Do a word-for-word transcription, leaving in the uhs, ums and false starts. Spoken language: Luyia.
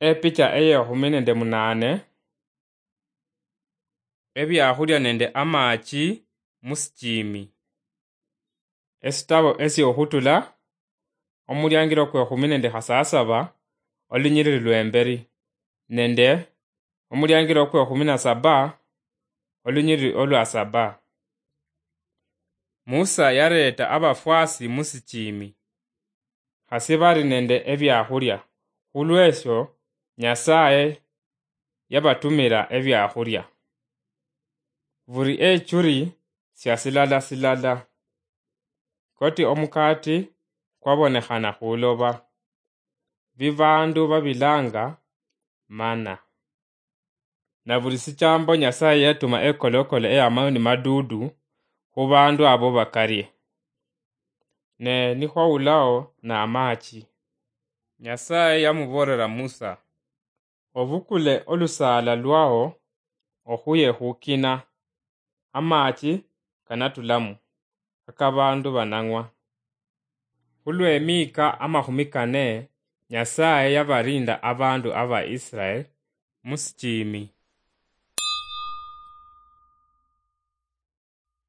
Epicha eyekhumi nende munane. Ebiakhulia nende amachi musichimi. Esitabo esiokhutula, omuliangiro kwekhumi nende khasasaba, olunyiriri lwemberi, nende omuliangiro kwekhumi na saba, olunyiriri olwa saba. Musa yareeta abafwasi musichimi, khasi bari nende ebiakhulia, khulwesio Nyasaye yabatumira ebiakhulia. Buri echuri sia silala silala, koti omukati kwabonekhana khuloba, bi bandu babilanga mana. Na buli sichambo Nyasaye yatuma ekolokolo eyamaoni madudu khu bandu abo bakarie. Ne nikhwaulao na amachi. Nyasaye yamuborera Musa, "Obukule olusala lwao okhuye khukina, amachi kanatulamu, akabandu banang'wa." Khulwemika amakhumi kane, Nyasaye yabarinda abandu aba Israel musichimi.